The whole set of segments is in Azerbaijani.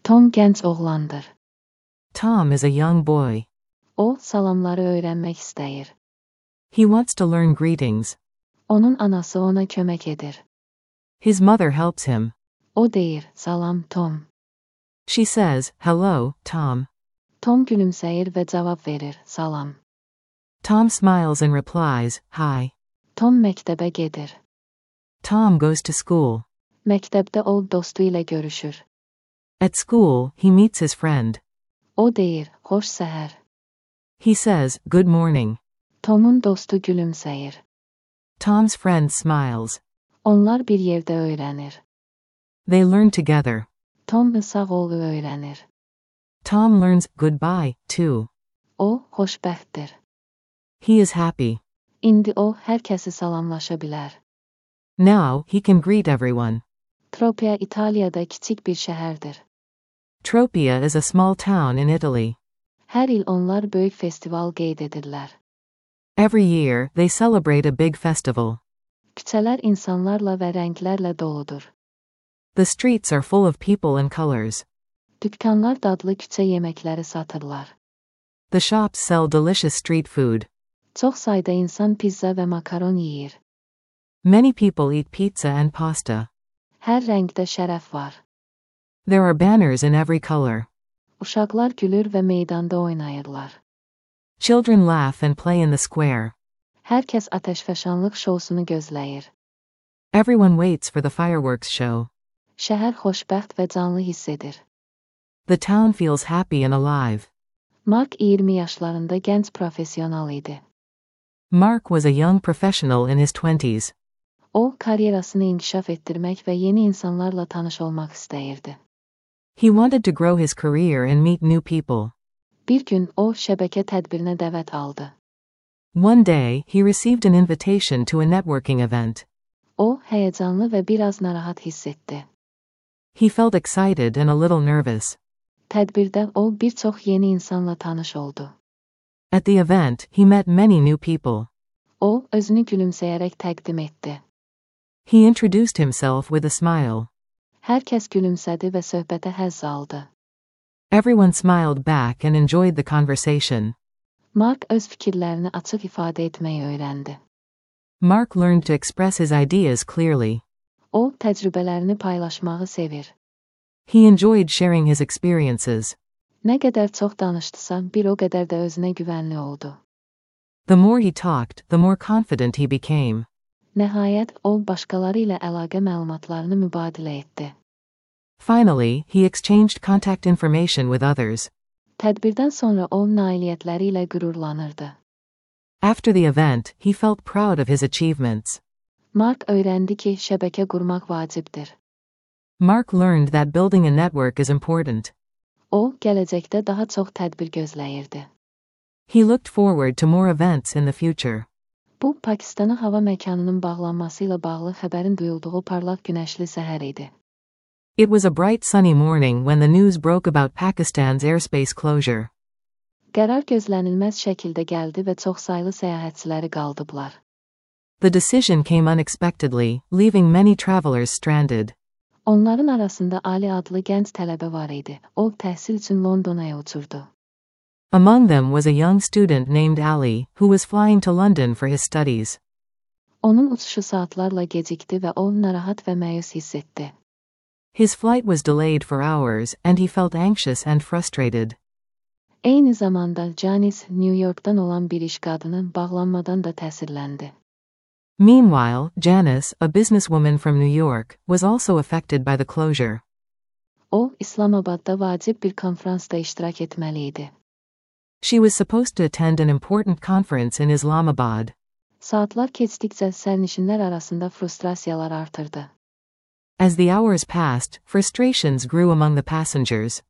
Tom genç oğlandır. Tom is a young boy. O, salamları öğrenmek istəyir. He wants to learn greetings. Onun anası ona kömək edir. His mother helps him. O deyir, salam Tom. She says, hello, Tom. Tom gülümsəyir və cavab verir, salam. Tom smiles and replies, hi. Tom məktəbə gedir. Tom goes to school. Məktəbdə o dostu ilə görüşür. At school, he meets his friend. O deyir, xoş səhər. He says, good morning. Tomun dostu gülümsəyir. Tom's friend smiles. Onlar bir yerdə öyrənir. They learn together. Tom sağ olu öyrənir. Tom learns goodbye, too. O, xoşbəxtdir. He is happy. İndi o, hər kəsi salamlaşa bilər. Now, he can greet everyone. Tropia İtaliyada kiçik bir şəhərdir. Tropea is a small town in Italy. Hər il onlar böyük festival qeyd edirlər. Every year, they celebrate a big festival. Küçələr insanlarla və rənglərlə doludur. The streets are full of people and colors. Dükkanlar dadlı küçə yeməkləri satırlar. The shops sell delicious street food. Çox sayda insan pizza və makaron yeyir. Many people eat pizza and pasta. Hər rəngdə şərəf var. There are banners in every color. Uşaqlar gülür və meydanda oynayırlar. Children laugh and play in the square. Hər kəs atəşfəşanlıq şousunu gözləyir. Everyone waits for the fireworks show. Şəhər xoşbəxt və canlı hiss edir. The town feels happy and alive. Mark 20 yaşlarında gənc profesional idi. Mark was a young professional in his 20s. O, karyerasını inkişaf etdirmək və yeni insanlarla tanış olmaq istəyirdi. He wanted to grow his career and meet new people. Bir gün o, şəbəkə tədbirinə dəvət aldı. One day, he received an invitation to a networking event. O, həyəcanlı və biraz narahat hiss etdi. He felt excited and a little nervous. Tədbirdə o, bir çox yeni insanla tanış oldu. At the event, he met many new people. O, özünü gülümsəyərək təqdim etdi. He introduced himself with a smile. Hər kəs gülümsədi və söhbətə həzz aldı. Everyone smiled back and enjoyed the conversation. Mark öz fikirlərini açıq ifadə etməyi öyrəndi. Mark learned to express his ideas clearly. O, təcrübələrini paylaşmağı sevir. He enjoyed sharing his experiences. Nə qədər çox danışdısa, bir o qədər də özünə güvənli oldu. The more he talked, the more confident he became. Nəhayət, o, başqaları ilə əlaqə məlumatlarını mübadilə etdi. Finally, he exchanged contact information with others. Tədbirdən sonra o, nailiyyətləri ilə qürurlanırdı. After the event, he felt proud of his achievements. Mark öyrəndi ki, şəbəkə qurmaq vacibdir. Mark learned that building a network is important. O, gələcəkdə daha çox tədbir gözləyirdi. He looked forward to more events in the future. Bu, Pakistana hava məkanının bağlanması ilə bağlı xəbərin duyulduğu parlaq günəşli səhər idi. It was a bright sunny morning when the news broke about Pakistan's airspace closure. Qərar gözlənilməz şəkildə gəldi və çoxsaylı səyahətçiləri qaldıblar. The decision came unexpectedly, leaving many travelers stranded. Onların arasında Ali adlı gənc tələbə var idi. O, təhsil üçün Londonaya uçurdu. Among them was a young student named Ali, who was flying to London for his studies. Onun uçuşu saatlarla gecikdi və o, narahat və məyus hiss etdi. His flight was delayed for hours, and he felt anxious and frustrated. Eyni zamanda Janice, New York'dan olan bir iş qadını bağlanmadan da təsirləndi. Meanwhile, Janice, a businesswoman from New York, was also affected by the closure. O, İslamabadda vacib bir konferansda iştirak etməli idi. She was supposed to attend an important conference in Islamabad. Saatlar keçdikcə sərnişinlər arasında frustrasiyalar artırdı. As the hours passed, frustrations grew among the passengers.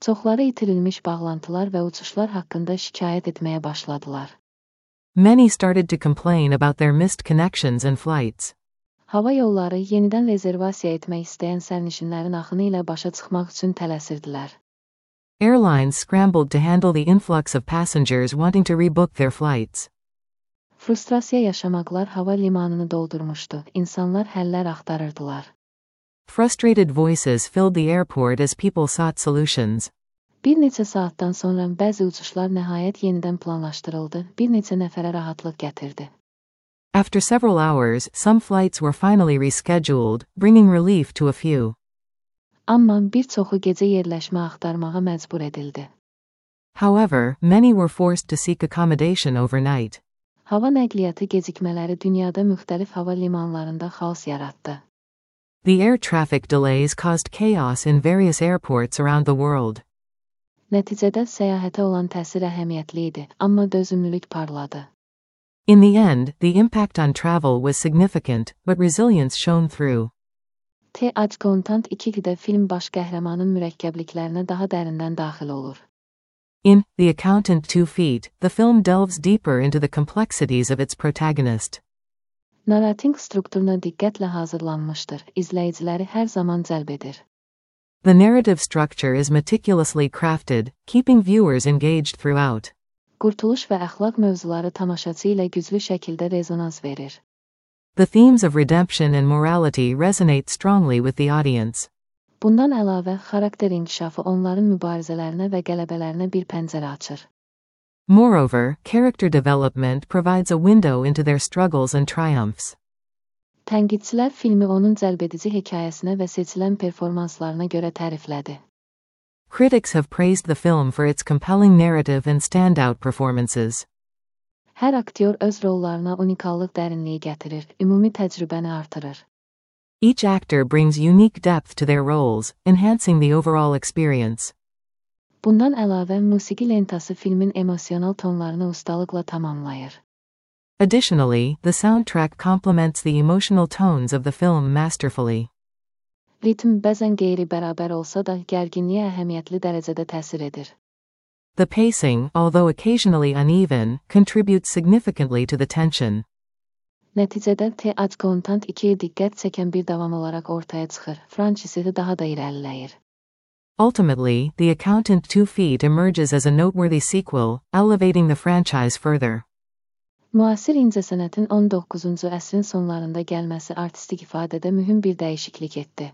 Çoxları itirilmiş bağlantılar və uçuşlar haqqında şikayət etməyə başladılar. Many started to complain about their missed connections and flights. Hava yolları yenidən rezervasiya etmək istəyən sərnişinlərin axını ilə başa çıxmaq üçün tələsirdilər. Airlines scrambled to handle the influx of passengers wanting to rebook their flights. Frustrasiya yaşamaqlar hava limanını doldurmuşdu. İnsanlar həllər axtarırdılar. frustrated voices filled the airport as people sought solutions. Bir neçə saatdan sonra bəzi uçuşlar nəhayət yenidən planlaşdırıldı, bir neçə nəfərə rahatlıq gətirdi. After several hours, some flights were finally rescheduled, bringing relief to a few. Amma bir çoxu gecə yerləşmə axtarmağa məcbur edildi. However, many were forced to seek accommodation overnight. Hava nəqliyyatı gecikmələri dünyada müxtəlif hava limanlarında xaos yaratdı. The air traffic delays caused chaos in various airports around the world. Nəticədə səyahətə olan təsir əhəmiyyətli idi, amma dözümlülük parladı. In the end, the impact on travel was significant, but resilience shone through. The Content 2-də film baş qəhrəmanın mürəkkəbliklərinə daha dərindən daxil olur. In The Accountant 2 Feet, the film delves deeper into the complexities of its protagonist. Narrating strukturuna diqqətlə hazırlanmışdır, izləyiciləri hər zaman cəlb edir. The narrative structure is meticulously crafted, keeping viewers engaged throughout. Qurtuluş və əxlaq mövzuları tamaşaçı ilə güclü şəkildə rezonans verir. The themes of redemption and morality resonate strongly with the audience. Bundan əlavə, xarakter inkişafı onların mübarizələrinə və qələbələrinə bir pəncərə açır. Moreover, character development provides a window into their struggles and triumphs. Tənqidçilər filmi onun cəlbedici hekayəsinə və seçilən performanslarına görə təriflədi. Critics have praised the film for its compelling narrative and standout performances. Hər aktyor öz rollarına unikallıq dərinliyi gətirir, ümumi təcrübəni artırır. Each actor brings unique depth to their roles, enhancing the overall experience. Bundan əlavə, musiqi lentası filmin emosional tonlarını ustalıqla tamamlayır. Additionally, the soundtrack complements the emotional tones of the film masterfully. Ritm bəzən qeyri-bərabər olsa da, gərginliyə əhəmiyyətli dərəcədə təsir edir. The pacing, although occasionally uneven, contributes significantly to the tension. Nəticədə The Content 2-yə diqqət çəkən bir davam olaraq ortaya çıxır, fransizesi daha da irəliləyir. Ultimately, The Accountant 2 Feet emerges as a noteworthy sequel, elevating the franchise further. Müasir incəsənətin 19-cu əsrin sonlarında gəlməsi artistik ifadədə mühüm bir dəyişiklik etdi.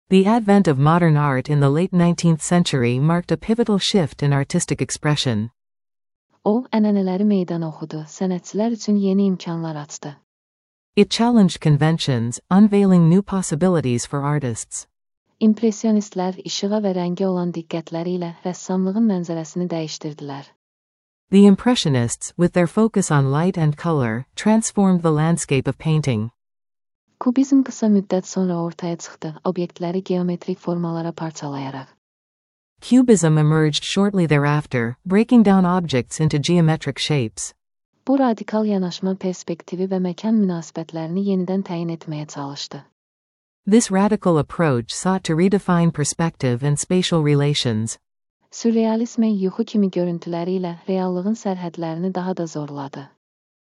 The advent of modern art in the late 19th century marked a pivotal shift in artistic expression. O, ənənələri meydan oxudu, sənətçilər üçün yeni imkanlar açdı. It challenged conventions, unveiling new possibilities for artists. İmpressionistlər işığa və rəngə olan diqqətləri ilə rəssamlığın mənzərəsini dəyişdirdilər. The Impressionists, with their focus on light and color, transformed the landscape of painting. Kubizm qısa müddət sonra ortaya çıxdı, obyektləri geometrik formalara parçalayaraq. Cubism emerged shortly thereafter, breaking down objects into geometric shapes. Bu radikal yanaşma perspektivi və məkan münasibətlərini yenidən təyin etməyə çalışdı. This radical approach sought to redefine perspective and spatial relations. Sürrealizmə yuxu kimi görüntüləri ilə reallığın sərhədlərini daha da zorladı.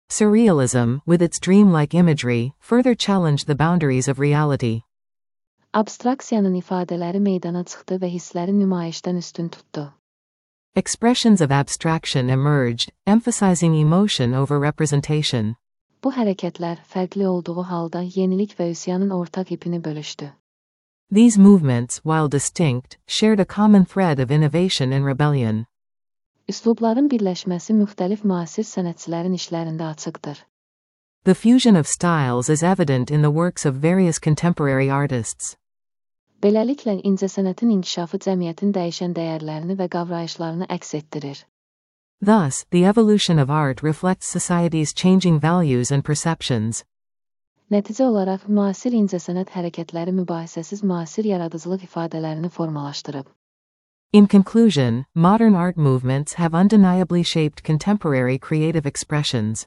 Surrealism, with its dreamlike imagery, further challenged the boundaries of reality. Abstraksiyanın ifadələri meydana çıxdı və hissləri nümayişdən üstün tutdu. Expressions of abstraction emerged, emphasizing emotion over representation. Bu hərəkətlər fərqli olduğu halda yenilik və üsyanın ortaq ipini bölüşdü. These movements, while distinct, shared a common thread of innovation and rebellion. Üslubların birləşməsi müxtəlif müasir sənətçilərin işlərində açıqdır. The fusion of styles is evident in the works of various contemporary artists. Beləliklə, incəsənətin inkişafı cəmiyyətin dəyişən dəyərlərini və qavrayışlarını əks etdirir. Thus, the evolution of art reflects society's changing values and perceptions. Nəticə olaraq, müasir incəsənət hərəkətləri mübahisəsiz müasir yaradıcılıq ifadələrini formalaşdırıb. In conclusion, modern art movements have undeniably shaped contemporary creative expressions.